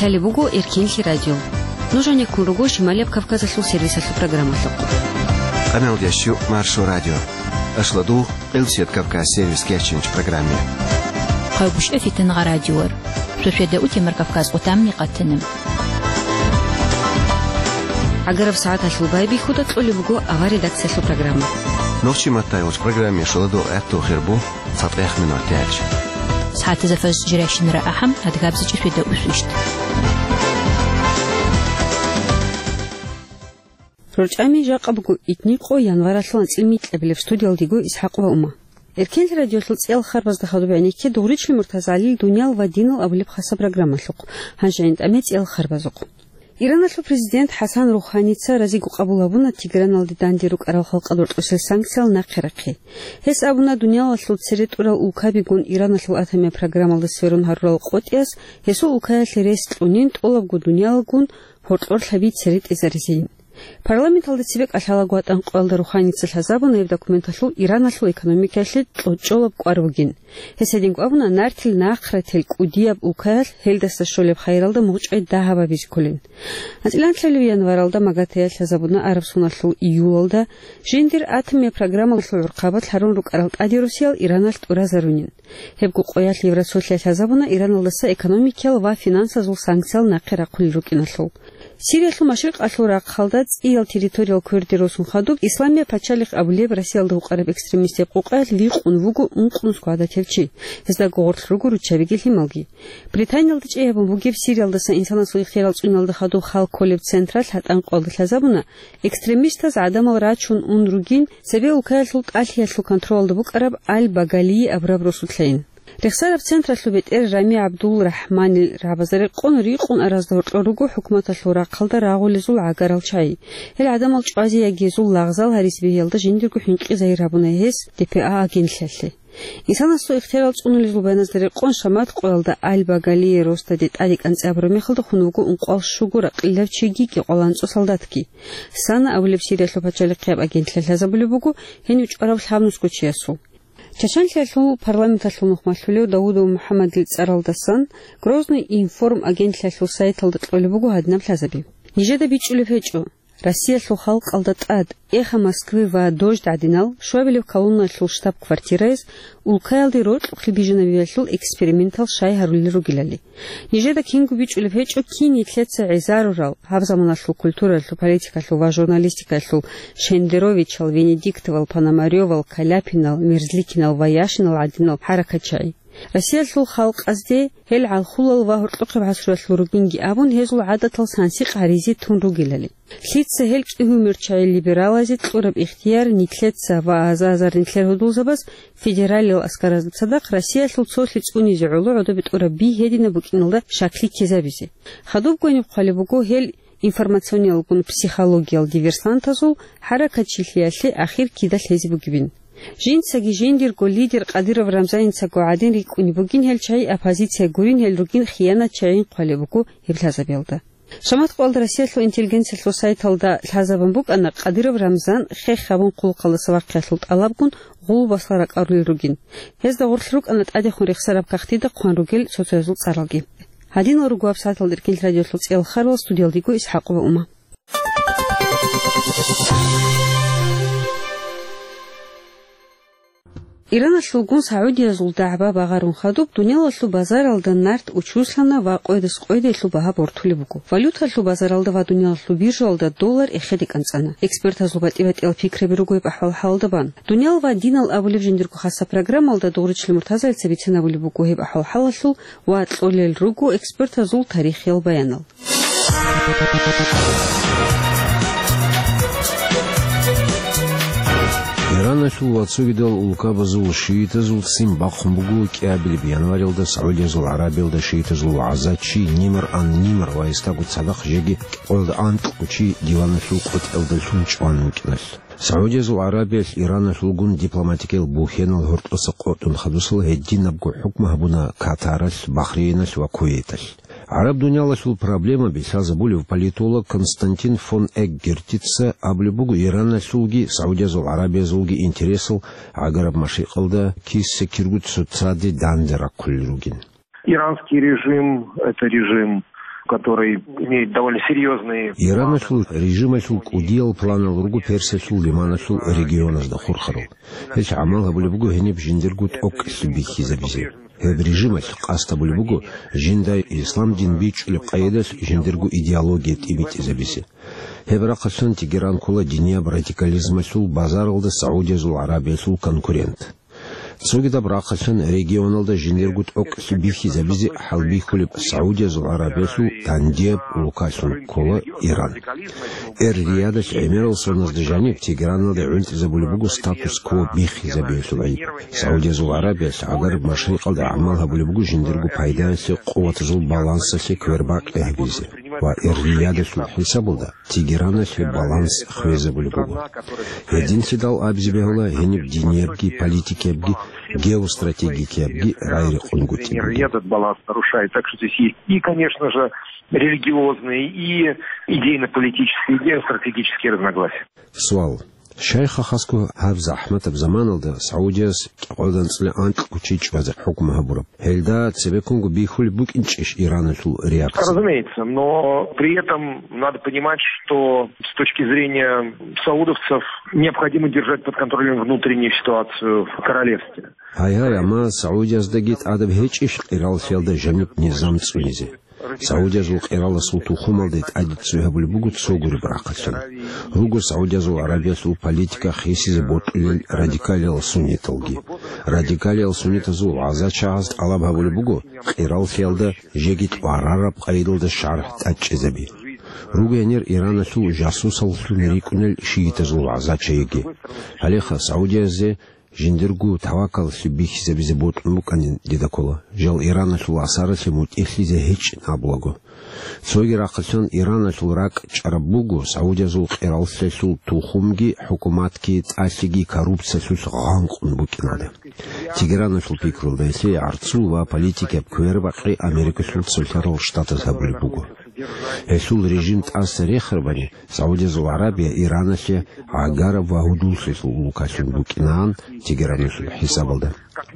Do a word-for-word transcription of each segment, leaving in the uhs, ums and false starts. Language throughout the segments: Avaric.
Лъалеб буго Эркенлъи радио. Нуж гьанеккун руго Шималияб Кавказалъул сервисалъул программалъухъ. Къамелдящу Маршо радио. Ашладу, Къилсият Кавказ сервис кеченч программе. Хъайбушев Фитангъа радиор. Шошеда утемар Кавказ утамни къатанам. Агараб сагӀаталъул байбихьуда кьолеб буго авар редакциялъул программа. Нохчи маттай уч программе шоладу гӀатту хирбу. ЦатӀех минуталъ. СагӀатазда фаз жирайщинара ахӀам, адгабзичӀи феда усвищ. РорчӀами жакъа буго итни къо январалъул анцӀил микьабилеб, студиялдего ИсхӀакъ ва Ума. Эркенлъи радиолъул цӀел харбазда хадуб гӀенекке Дугъричли МуртазагӀалил «Дуниял ва динал» абулеб хасаб программалъухъ, гьанже гӀинтӀаме цӀел харбазухъ. Ираналъул президент ХӀасан РухӀаница разиго къабул гьабуна Тегераналде данде рукӀарал халкъалда рокьосел санкциял нахъе рахъи. Гьес абуна, дуниялалъул цере тӀурал улкабигун Ираналъул атомияб программалда сверун гьарурал къотӀиялъ гьесул улкаялъе рес кьунин, тӀолабго дуниялалгун гьоркьорлъаби цере тӀезаризейин. Парламенталда цебе кӀалъалаго ватӀан къоялда РухӀаница лъазабуна гьеб документалъул Ираналъул экономикаялъе кьочӀолаб кӀвар бугин. Гьес гьединго абуна, нартил нахърател кӀудияб улкаялъ гьелдаса щолеб хайралда мугъчӀвай дагьаб гьабизе кколин. АнцӀила анлъабилеб январалда Магадаялъ лъазабуна Арабсоналъул июлалда, жиндир атомияб программалъул гӀурхъабалъ гьарун рукӀарал тӀаде росиял Ираналъ тӀуразарунин. Гьебго къоялъ Евросоюзалъ лъазабуна Ираналдаса экономикиял ва финансазул санкциял нахъе рахъулел рукӀиналъул. Сириялъул машрикъалъул рахъалда цӀиял территориял кверде росун хадуб, Исламияб пачалихъ абулеб Россиялда вукӀараб экстремистияб къукъаялъ вихъун вуго ункънусго гӀадатив чи, гьезда гугъурлъ руго руччабиги лъималги. Британиялда чӀей гьабун бугеб Сириялдаса инсанасул ихтияр цӀуналда хадуб хал кколеб централъ гьатӀан къоялда лъазабуна, экстремистаз гӀадамал рачун ун ругин, цебе улкаялъул тӀалъиялъул контролалда букӀараб Аль-Багалие абураб росулъайин. Рехсараб централъул бетӀер Рами ГӀабдул-РахӀманил рагӀабазда рекъон рикъун аразда гьоркьор руго хӀукуматалъул рахъалда рагъулезул гӀагарал чагӀи. Гьел гӀадамал чӀвазе яги гьезул лагъзал гьаризе бегьиялда жиндирго хӀинкъи загьир гьабуна гьес Д П А агентлъиялъе. Инсанасул ихтияр цӀунулезул баяназда рекъон шамат къоялда Аль-Багалие росдаде тӀаде кӀанцӀи абураб мехалда хун вуго ункъоялъ щуго ракьилав чиги кӀикъоялда анцӀго солдатги. Сана абулеб Сириялъул пачалихъияб агентлъиялъ лъазабулеб буго гьенив чӀвараб лъабнусго чиясул. Чачанлъиялъул парламенталъул нухмалъулев Даудов МухӀаммадил цӀаралдасан Грозный информ агентлъиялъул сайталда кьолеб буго гьадинаб лъазаби. Нижеда бичӀчӀулеб гьечӀо, Россиялъул халкъалда тӀад «Эхо Москвы» ва «Дождь» гӀадинал щуабилеб колонналъул штаб-квартираяз улкаялде рокьухъе бижинабиялъул экспериментал щай гьарулел ругелали. Нижеда кинго бичӀчӀулеб гьечӀо, кин нилъеца гӀезарурал, гьаб заманалъул культуралъул, политикалъул ва журналистикалъул Шендеровичал, Венедиктовал, Пономарёвал, Каляпинал, Мерзликинал ва Яшинал гӀадинал хӀаракатчагӀи. Россиялъул халкъазде гьел гӀалхулал ва гьоркьохъеб гӀасруялъул ругинги абун, гьезул гӀадатал сансикъ гьаризе тун ругелали. Лъица гьел чӀугьумерчагӀи либералазе кьураб ихтияр нилъеца ва аза-азар нилъер гьудулзабаз федералиял аскаразда цадахъ Россиялъул цолъи цӀунизе гӀоло гӀодобе тӀураб би гьединаб букӀиналда щаклъи ккезабизе. Хадубго гьениб хъвалеб буго гьел информациониялгун психологиял диверсантазул хӀаракатчилъиялъе ахир кида лъезе бугебин. Жинцаги жиндирго лидер Кадыров Рамзанницаго гӀадин рикӀкӀунеб бугин гьел чагӀи, оппозиция гурин гьел ругин хиянатчагӀин хъвалеб буго гьеб лъазабиялда. Шамат къоялда Россиялъул интеллигенциялъул сайталда лъазабун букӀана Кадыров Рамзан хех гьабун хъулухъалдаса вахъиялъул тӀалабгун гъулбасал ракӀарулел ругин. Гьезда гъорлъ рукӀана тӀадехун рехсараб кагътида хъван ругел соцоязул цӀаралги. Гьадинал руго гьаб сагӀаталда Эркенлъи радиолъул цӀел харбал, студиялдего ИсхӀакъ ва Ума. Ираналъулгун сагӀудиязул дагӀба багъарун хадуб, дуниялалъул базаралда нарт учуслъана ва къойдас къойдайлъул багьа бортулеб буго. Валюталъул базаралда ва дуниялалъул биржаялда доллар эхеде кӀанцӀана. Экспертазул батӀи-батӀиял пикраби руго гьеб ахӀвал-хӀалалда бан. «Дуниял ва динал» абулеб жиндирго хасаб программалда Дугъричил МуртазагӀица бицен абулеб буго гьеб ахӀвал-хӀалалъул ва кьолел руго экспертазул тарихиял баянал. Ираналъул ва цогидал улкабазул шиитазул ццин бахъун буго кӀиабилеб январалда СагӀудиязул ГӀарабиялда шиитазул вагӀзачи Нимр ан-Нимр ва гьесдаго цадахъ жеги кӀикъоялда анкьго чи диваналъул къотӀиялда лъун чӀван вукӀиналъ. СагӀудиязул ГӀарабиялъ Ираналъулгун дипломатикиял бухьенал гьоркьоса къотӀун хадусал гьединабго хӀукму гьабуна Катаралъ, Бахрейналъ ва Кувейталъ. ГӀараб дуниялалъул проблемаби лъазабулев политолог Константин фон Эггертица абулеб буго, Ираналъулги СагӀудиязул ГӀарабиязулги интересал гӀагараб машрикъалда киса-киргу цоцаде данде рахъулел ругин. Иранский режим — это режим который имеет довольно серьезные... Ираналъул режималъул кӀудиял планал руго Персиялъул лиманалъул регионазда хурхарал. Гьелъ гӀамал гьабулеб буго гьениб жиндирго тӀокӀлъи бихьизабизе. Гьеб режималъ къасд гьабулеб буго жинда ислам дин бичӀчӀулеб къайдалъ жиндирго идеология тӀибитӀизабизе. Гьеб рахъалъан Тегеран ккола динияб радикализмалъул базаралда Саудиязул ГӀарабиялъул конкурент. Цогидаб рахъалъан регионалда жиндирго тӀокӀлъи бихьизабизе хӀалбихьулеб Саудиязул ГӀарабиялъул дандияб улкалъун ккола Иран. Эр-Риядалъ гӀемерал соназда жаниб Тегераналде гӀунтӀизабулеб буго статус-кво бихьизабиялъул гӀайиб. Саудиязул ГӀарабиялъ гӀагараб машрикъалда гӀамал гьабулеб буго жиндирго пайдаялъе къуватазул балансалъе квербакъи гьабизе ва Эр-Риядалъул хӀисабалда Тегераналъе баланс хвезабулеб буго. Гьединлъидал абизе бегьула гьениб диниябги, политикиябги, геостратегикиябги рагӀи рекъон гутӀи бугеб. Этот баланс нарушает. Так что здесь есть и, конечно же, религиозные, и идейно-политические, и геостратегические разногласия. Суал. Шайх, хасго гьаб захӀматаб заманалда Саудияс кӀикъоялда анцӀила анкьго чи чӀвазе хӀукму гьабураб. Гьелда цебеккунго бихьулеб букӀинчӀищ Ираналъул реакция? Разумеется, но при этом надо понимать, что с точки зрения саудовцев необходимо держать под контролем внутреннюю ситуацию в королевстве. Гьай-гьай, амма Саудияздаги тӀадаб гьечӀищ къираллъиялда жаниб низам цӀунизе? Саудиязул къираласул тухумалде тӀаде цӀуй гьабулеб буго цо гуреб рахъалъан. Руго Саудиязул ГӀарабиялъул политика хисизе бокьулел радикалиял сунниталги. Радикалиял суннитазул вагӀза-чагӀаз тӀалаб гьабулеб буго къираллъиялда жеги тӀварараб къайдалда шаргӀ тӀадчӀезаби. Руго гьенир Ираналъул жасусаллъун рикӀкӀунел шиитазул вагӀза-чагӀиги. Гьалеха Саудиязе жиндирго тавакаллъи бихьизабизе бокьун букӀанин дида ккола, жал Ираналъул асаралъе мутӀигӀлъизе гьечӀин абулаго. Цоги рахъалъан Ираналъул ракӀчӀараб буго Саудиязул къираллъиялъул тухумги хӀукуматги тӀалъиги коррупциялъулъ гъанкъун букӀиналда. Тегераналъул пикрулда гьелъие гӀарцул ва политикияб квербакъи Америкалъул цолъарал штатаз гьабулеб буго. Гьелъул режим тӀаса рехарабани, Саудиязул ГӀарабия Ираналъе гӀагараб ва гьудуллъилъул улкалъун букӀинаан Тегераналъул хӀисабалда.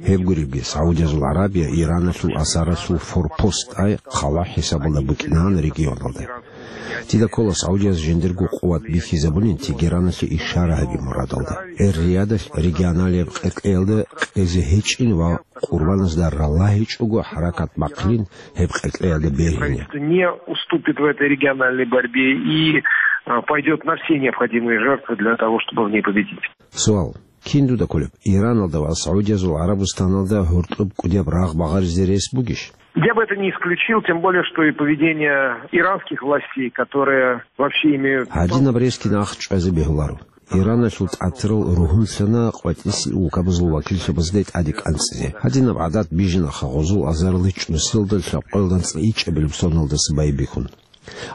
Гьеб гуребги, Саудиязул ГӀарабия Ираналъул асаралъул форпост, ай хъала хӀисабалда букӀинаан регионалда. Дида ккола Саудияс жиндирго къуват бихьизабунин Тегераналъе ишара гьаби мурадалда. Эр-Риядалъ регионалияб къеркьеялда къезе гьечӀин ва къурбаназда ралагьичӀого хӀаракат бахъилин гьеб къеркьеялда бергьине. Правительство не уступит в этой региональной борьбе и, э, пойдёт на все необходимые жертвы для того, чтобы в ней победить. Суал. Кин дуда кколеб, Ираналда ва Саудиязул ГӀарабустаналда гьоркьоб кӀудияб рагъ багъаризе рес бугищ? Я бы это не исключил, тем более, что и поведение иранских властей, которые вообще имеют... Гьадинаб рес кин ахчӀвазе бегьуларо. Ираналъул тӀатарал ругьунлъана къватӀисел улкабазул вакиллъабазде тӀаде кӀанцӀизе. Гьадинаб гӀадат бижинаха гъозул азарилъ чӀусиялда лъабкъоялда анцӀила ичӀабилеб соналдаса байбихьун.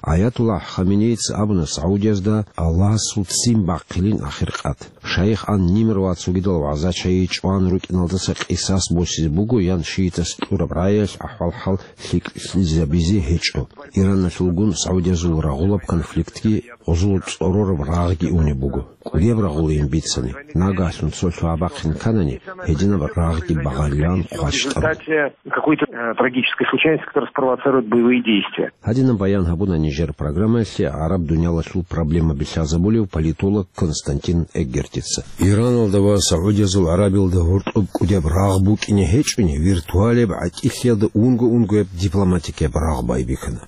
Аятуллагь Хаменейица абуна Саудиязда Аллагьасул ццин бахъилин ахиркъат. Шайх ан-Нимр ва цогидал вагӀза-чагӀи чӀван рукӀиналдаса къисас босизе буго ян шиитас кьураб рагӀиялъ ахӀвал-хӀал лъикӀлъизабизе гьечӀо. Ираналъулгун Саудиязул рагъулаб конфликтги гъозул цӀорораб рагъги унеб буго. КӀудияб рагъулин бицани, нагагьлъун цо лъугьа-бахъин кканани, гьединаб рагъги багъарилан хъващтӀарун. Какой-то, э, трагической случайности, которая спровоцирует боевые действия. Гьадинаб баян гьабуна нижер программаялъе гӀараб дуниялалъул проблемаби лъазабулев политолог Константин Эггертица. Ираналда ва Саудиязул ГӀарабиялда гьоркьоб кӀудияб рагъ букӀине гьечӀони, виртуалияб гӀатӀилъиялда унго-унгояб дипломатикияб рагъ байбихьана.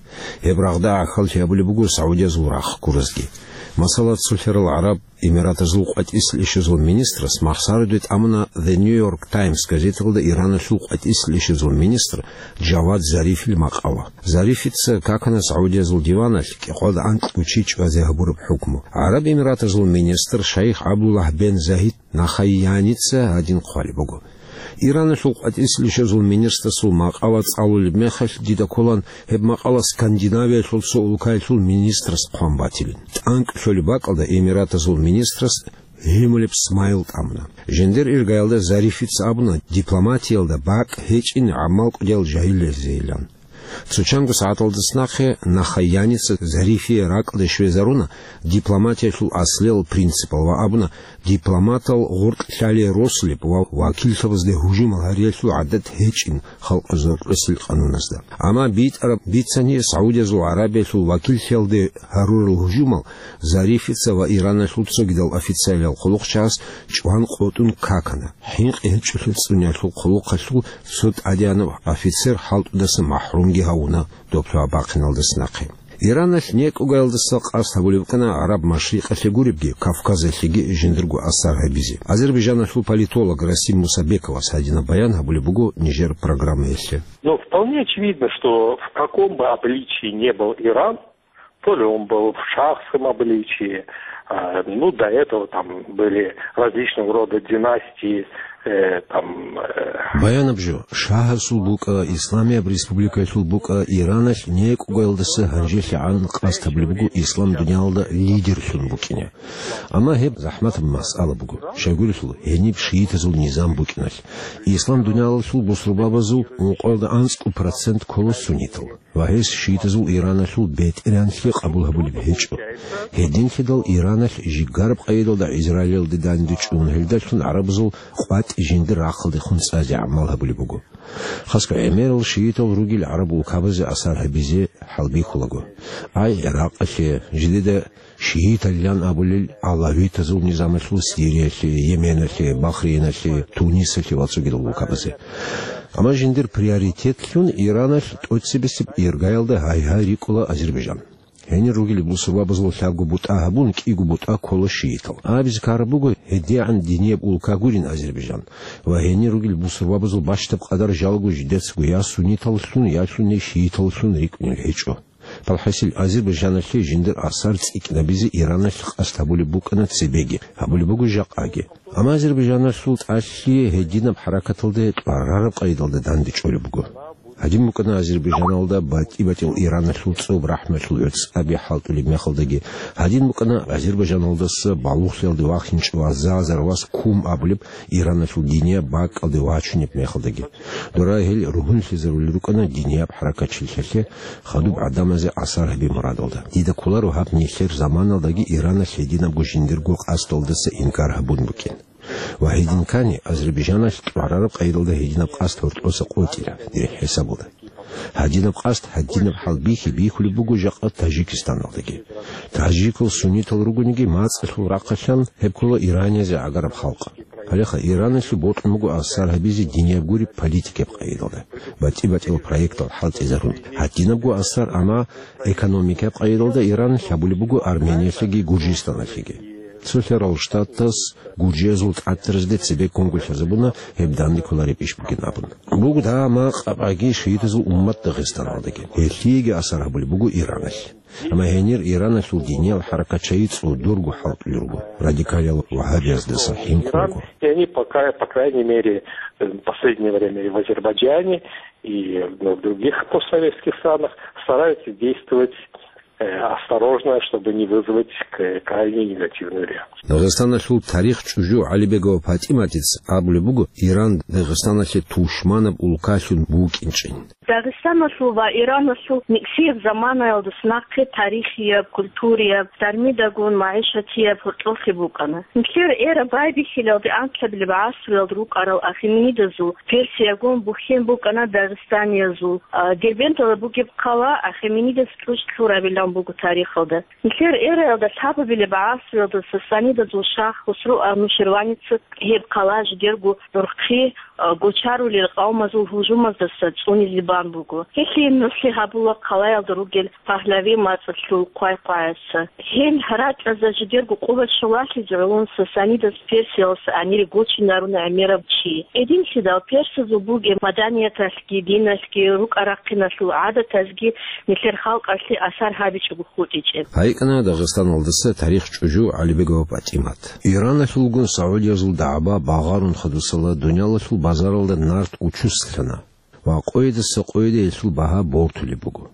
Гьеб рагъда гӀахьаллъи гьабулеб буго Саудиязул рахъ гуразги. Масала, цолъарал гӀараб Эмиратазул къватӀисел ишазул министрас махсараде тӀамуна The New York Times газеталда Ираналъул къватӀисел ишазул министр Джавад Зарифил макъала. Зарифица какана Саудиязул диваналъ кӀикъоялда анкьго чи чӀвазе гьабураб хӀукму. ГӀараб Эмиратазул министр шайх ГӀабдуллагь бен Загьид Нахаяница гьадин хъвалеб буго. Ираналъул къватӀисел ишазул министрасул макъала цӀалулеб мехалъ дида кколан гьеб макъала Скандинавиялъул цо улкаялъул министрас хъван батилин. ТӀанкӀ лъолеб бакӀалда Эмиратазул министрас гьимулеб смайл тӀамуна. Жиндир иргаялда Зарифица абуна, дипломатиялда бакӀ гьечӀин гӀамал кӀудиял жагьиллъизейилан. Цо чанго сагӀаталдаса нахъе Нахаяница Зарифие ракӀалде щвезаруна дипломатиялъул аслиял принципал ва абуна, дипломатал гъоркь лъалие росулеб ва вакиллъабазде гьужумал гьариялъул гӀадат гьечӀин халкъазул рекъелъул къануназда. Амма битӀараб бицани, Саудиязул ГӀарабиялъул вакиллъиялде гьарурал гьужумал Зарифица ва Ираналъул цогидал официалиял хъулухъчагьаз чӀван къотӀун какана. ХӀинкъи гьечӀолъи цӀуниялъул хъулухъалъул цо тӀадегӀанав офицер хӀалтӀудаса махӀрумги гьавуна доб лъугьа-бахъиналдаса нахъе. Ираналъ некӀугаялдаса къасд гьабулеб букӀана ГӀараб Машрикъалъе гуребги, Кавказалъеги жиндирго асар гьабизе. Азербайжаналъул политолог Расим Мусабековас гьадинаб баян гьабулеб буго нижер программаялъе. Но вполне очевидно, что в каком бы обличии не был Иран, то ли он был в шахском обличии, а, ну, до этого там были различного рода династии, э, там, э, Баянаб жо, шагьасул букӀа, исламияб республикаялъул букӀа, Ираналъ некӀугаялдаса гьанжелъагӀан къасд гьабулеб буго ислам дуниялалда лидерлъун букӀине. Амма гьеб захӀматаб масъала буго. Щайгурелъул, гьениб шиитазул низам букӀиналъ. Ислам дуниялалъул бусурбабазул ункъоялда анцӀго процент ккола суннитал. Ва гьес шиитазул Ираналъул бетӀергьанлъи къабул гьабулеб гьечӀо. Гьединлъидал Ираналъ жигараб къайдалда Израилалде данде чӀун, гьелдалъун гӀарабазул къватӀи жиндир рахъалдехун цӀазе гӀамал гьабулеб буго. Хасго гӀемерал шиитал ругел гӀараб улкабазе асар гьабизе хӀалбихьулаго. Ай ГӀиракъалъе, жидеда шииталилан абулел алавитазул низамалъул Сириялъе, Йеменалъе, Бахрейналъе, Тунисалъе ва цогидал улкабазе. Амма жиндир приоритетлъун Ираналъ тӀоцебесеб иргаялда гьай-гьай рикӀкӀула Азербайжан. Гьенир ругел бусурбабазул лъабго бутӀа гьабун, кӀиго бутӀа ккола шиитал. Абизе ккараб буго, гьедигӀан динияб улка гурин Азербайжан. Ва гьенир ругел бусурбабазул бащдаб къадар жалго жидецаго я сунниталлъун, я лъуни шииталлъун рикӀкӀунел гьечӀо. БалхӀасил, Азербайжаналъе жиндир асар цӀикӀкӀинабизе Ираналъ къасд гьабулеб букӀана цебеги, гьабулеб буго жакъаги. Амма Азербайжаналъул тӀалъи гьединаб хӀаракаталде тӀварараб къайдалда данде чӀолеб буго. Гьадин букӀана Азербайжаналда батӀи-батӀиял Ираналъул цӀоб рахӀмалъул гӀуцӀаби хӀалтӀулеб мехалдаги, гьадин букӀана Азербайжаналдаса балугълъиялде вахинчӀев Азазар вас Кум абулеб Ираналъул динияб бакӀалде вачунеб мехалдаги. Дора гьел ругьунлъизарулел рукӀана динияб хӀаракатчилъиялъе хадуб гӀадамазе асар гьаби мурадалда. Дида кколаро гьаб нилъер заманалдаги Ираналъ гьединабго жиндирго къасдалдаса инкар гьабун букӀин. Ва гьедин ккани, Азербайжаналъ тӀварараб къайдалда гьединаб къасд гьоркьоса къотӀила, дир хӀисабалда. Гьадинаб къасд, гьадинаб хӀал бихьи-бихьулеб буго жакъа Таджикистаналдаги. Таджикал суннитал ругониги, мацӀалъул рахъалъан гьеб ккола Ираниязде гӀагараб халкъ. Гьалеха Ираналъе бокьун буго асар гьабизе динияб гуреб политикаяб къайдалда, батӀи-батӀиял проектал хӀалтӀизарун. Гьадинабго асар, амма экономикаяб къайдалда Ираналъ гьабулеб буго Армениялъеги Гуржистаналъеги. Цолъарал Штатас гуржиязул тӀатаразде цебе ккунго лъазабуна гьеб данде кколареб иш бугин абун. Буго дагьа макъабаги шиитазул уммат Дагъистаналдаги. Гьелъиеги асар гьабулеб буго Ираналъ. Амма гьенир Ираналъул диниял хӀаракатчаги цӀодорго хӀалтӀулел руго, радикалиял вагьабияздаса хӀинкъун руго. И они пока, по крайней мере, э, в последнее время и в Азербайджане, и в других постсоветских странах стараются действовать, э, осторожно, чтобы не вызвать к-, крайне негативную реакцию. Дагъистаналъул тарих чӀужу ГӀалибегова ПатӀиматица абулеб буго, Иран Дагъистаналъе тушманаб улкалъун букӀинчӀин. Дагъистаналъул ва Ираналъул никсияб заманаялдаса нахъе тарихияб, культурияб, дармидагун магӀишатияб гьоркьорлъи букӀана. Нилъер эра байбихьилалде анкьабилеб гӀасруялда рукӀарал ахеменидазул Персиягун бухьен букӀана дагъистаниязул, а, Дербенталда бугеб хъала ахеменидас кьучӀ лъурабилан буго тарихалда. Нилъер эраялда лъабабилеб гӀасруялда сасанидазул шах Хусру Ануширваница гьеб хъала жидерго нурхъи, а, гочарулел къавмазул гьужумаздаса цӀунизе бан буго. Гьелъие нугӀлъи гьабула хъалаялда ругел Пагьлави мацӀалъул хъвай-хъваяса. Гьел ракьазда жидерго къуват щолалъизе гӀоло сасанидас Персиялдаса амир гочинаруна гӀемерав чи. Гьединлъидал персазул бугеб маданияталъги, диналъги, рукӀа-рахъиналъул гӀадатазги нилъер халкъалъе асар гьабичӀого хутӀичӀеб. ГьайикӀана Дагъистаналдаса тарих чӀужу ГӀалибегова ПатӀимат. Ираналъулгун Саудиязул дагӀба багъарун хадусала дуниялалъул базаралда нарт учуслъана ва къойидаса къойиде гьелъул багьа бортулеб буго.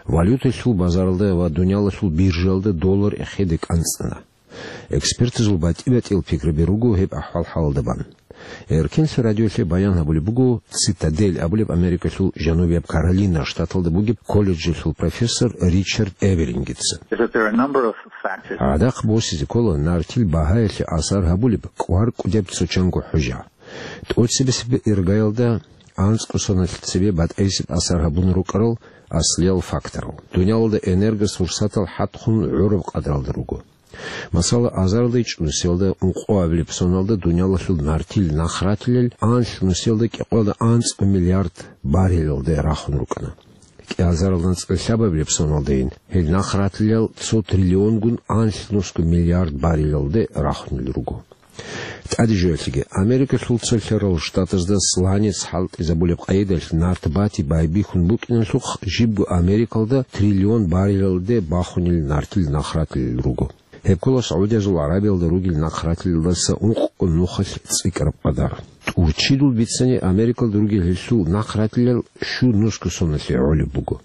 Валюталъул базаралда ва дуниялалъул биржаялда доллар эхеде кӀанцӀана. Экспертазул батӀи-батӀиял пикраби руго гьеб ахӀвал-хӀалалда бан. Эркенлъи радиолъе баян гьабулеб буго «Цитадель» абулеб Америкалъул Жанубияб Каролина штаталда бугеб колледжалъул профессор Ричард Эвелингица. Is that there are a number of factors. ГӀадахъ босизе ккола нартил багьаялъе асар гьабулеб кӀвар-кӀудияб цо-чанго хӀужа. ТӀоцебесеб иргаялда анцӀго соналъ цебе батӀайсеб асар гьабун рукӀарал аслиял факторал. Дуниялалда энергосурсатал хӀатхун гӀураб къадралда руго. Масала, азарилда ичӀнусиялда ункъоабилеб соналда дуниялалъул нартил нахратилел анлънусиялда кӀикъоялда анцӀго миллиард баррелалде рахун рукӀана. КӀиазарилда анцӀила лъабабилеб соналдайин гьел нахратилел цо триллионгун анлънусго миллиард баррелалде рахунел руго. ТӀаде жоялъеги, Америкалъул цо лъарал штатазда сланец хӀалтӀизабулеб къайдалъ нарт бати байбихьун букӀиналъухъ, жибго Америкалда триллион баррелалде бахунел нартил нахратилел руго. Гьеб ккола СагӀудиязул ГӀарабиялда ругел нахратилелдаса ункъго нухалъ цӀикӀкӀараб къадар. ТӀурччидул бицани Америкалда ругел гьелъул нахратилел щунусго соналъе гӀолеб буго.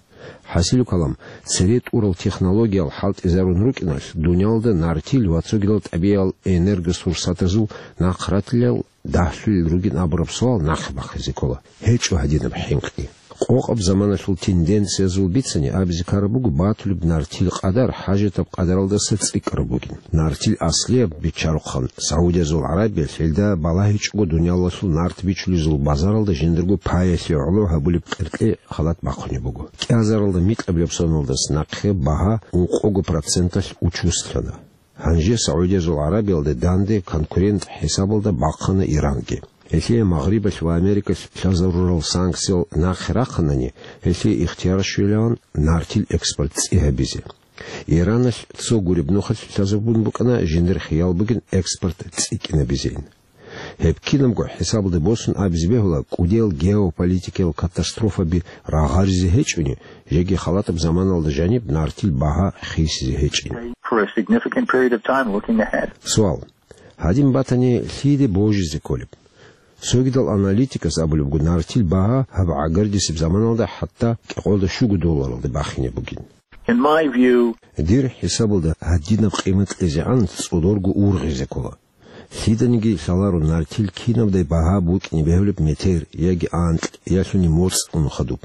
ХӀасилу калам, цере тӀурал технологиял хӀалтӀизарун рукӀиналъ, дуниялда нартил ва цогидал тӀабигӀиял энергосурсатазул нахратилел дагьлъулел ругин абураб суал нахъе бахъизе ккола. ГьечӀо гьадинаб хӀинкъи. Къокъаб заманалъул тенденциязул бицани абизе ккараб буго батулеб нартил къадар хӀажатаб къадаралдаса цӀикӀкӀараб бугин. Нартил аслияб биччарухъан, СагӀудиязул ГӀарабиялъ гьелда балагьичӀого дуниялалъул нарт бичулезул базаралда жиндирго паялъе гӀоло гьабулеб къеркье халат бахъунеб буго. КӀиазаралда микьабилеб соналдаса нахъе багьа ункъого проценталъ учуслъана. Гьанже СагӀудиязул ГӀарабиялда данде конкурент хӀисабалда бахъана Иранги. Гьелъие Магърибалъ ва Америкалъ лъазарурал санкциял нахъе рахъанани, гьелъие ихтияр щвелаван нартил экспорт цӀи гьабизе. Ираналъ цо гуреб нухалъ лъазабун букӀана жиндир хиял бугин экспорт цӀикӀкӀинабизейин. Гьеб кинабго хӀисабалде босун абизе бегьула, кӀудиял геополитикиял катастрофаби рагъаризе гьечӀони, жеги халатаб заманалда жаниб нартил багьа хисизе гьечӀин. For a significant period of time looking ahead. Суал. Гьадин батани, лъиде божизе кколеб? Цогидал аналитикас абулеб буго, нартил багьа гьаб гӀагардисеб заманалда хӀатта кӀикъоялда щуго долларалде бахине бугин. In my view, дир хӀисабалда гьадинаб къимат кьезегӀан цӀодорго ургъизе ккола. Лъиданиги лъаларо нартил кинабдай багьа букӀине бегьулеб метер яги анкь, ялъуни моцӀ ун хадуб.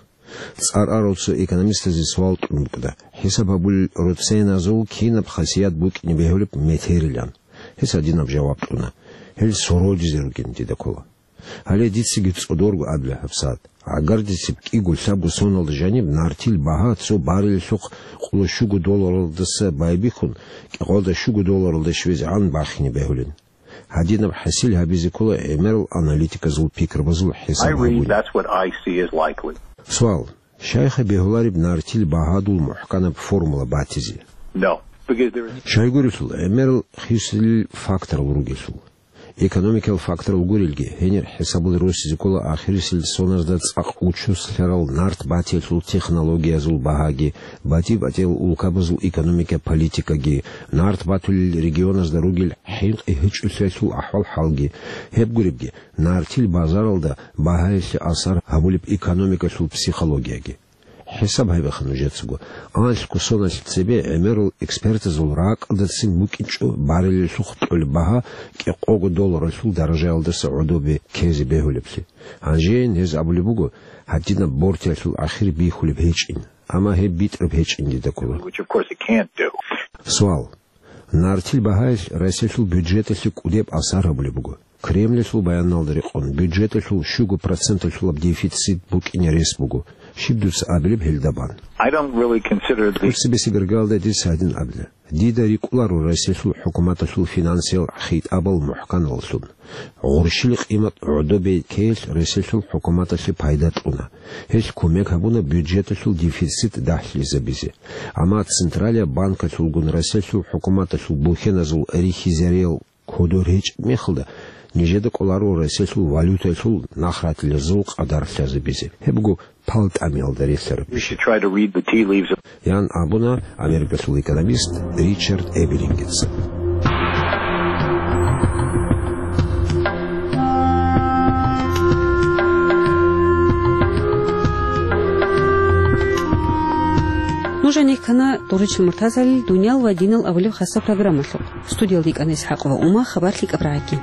ЦӀар арал цо экономистазе суал кьун букӀана, хӀисаб гьабулел роценазул кинаб хасият букӀине бегьулеб метерилан. Гьес гьадинаб жаваб кьуна: «Гьел сородизе ругин дида ккола». Гьале дицаги цӀодорго абила гьабсагӀат. ГӀагардисеб кӀиго-лъабго соналда жаниб нартил багьа цо баррелалъухъ къоло щуго долларалдаса байбихьун, кӀикъоялда щуго долларалде щвезегӀан бахине бегьулин. Гьадинаб хӀасил гьабизе ккола гӀемерал аналитиказул пикрабазул хӀисаб гьабуни. That's what I see as likely. Суал. Щайха бегьулареб нартил багьадул мухӀканаб формула батизе? No, because there is. Щайгурелъул, гӀемерал хисилел факторал ругелъул. Экономикиял факторал гурелги, гьенир хӀисабал росизе ккола ахирисел соназда цӀакъ учуслъарал нарт батиялъул технологиязул багьаги, батӀи-батӀиял улкабазул экономика политикаги, нарт батулел регионазда ругел хӀинкъи-гьечӀолъиялъул ахӀвал-хӀалги. Гьеб гуребги, нартил базаралда багьаялъе асар гьабулеб экономикалъул психологияги. ХӀисаб гьабиха нужецаго. Анлъго соналъ цебе гӀемерал экспертазул ракӀалдацин букӀинчӀо баррелалъухъ кьолеб багьа кӀикъого долларалъул даражаялдаса гӀодобе ккезе бегьулеблъи. Гьанжейин гьез абулеб буго, гьадинаб бортиялъул ахир бихьулеб гьечӀин, амма гьеб битӀараб гьечӀин дида ккола. Which, of course, it can't do. Суал. Нартил багьаялъ Россиялъул бюджеталъе кӀудеб асар гьабулеб буго. Кремльалъул баяналда рекъон, бюджеталъул щуго проценталъулаб дефицит букӀине рес буго. Щиб дуца абилеб гьелда бан? I don't really consider the. ТӀоцебесеб иргаялда дица гьадин абила. Дида рикӀкӀунаро Россиялъул хӀукуматалъул финансиял хитӀабал мухӀканаллъун. Гъурщил къимат гӀодобе ккеялъ Россиялъул хӀукуматалъе пайда кьуна. Гьелъ кумек гьабуна бюджеталъул дефицит дагьлъизабизе. Амма Централияб банкалъулгун Россиялъул хӀукуматалъул бухьеназул рихьизариял кодор гьечӀеб мехалда, нижеда кӀоларо Россиялъул валютаялъул нахратилазул къадар лъазабизе. Гьеб буго пал тӀамиялда релълъараб. You should try to read the tea leaves. Ян абуна Америкалъул экономист Ричард Эберингица. Нуж гьанир ккана ТӀуричил Муртазалил «Дуниял ва динал» абулеб хасаб программалъухъ. Студиялда йикӀана ИсхӀакъова Ума, хабар лъикӀаб рагӀаги.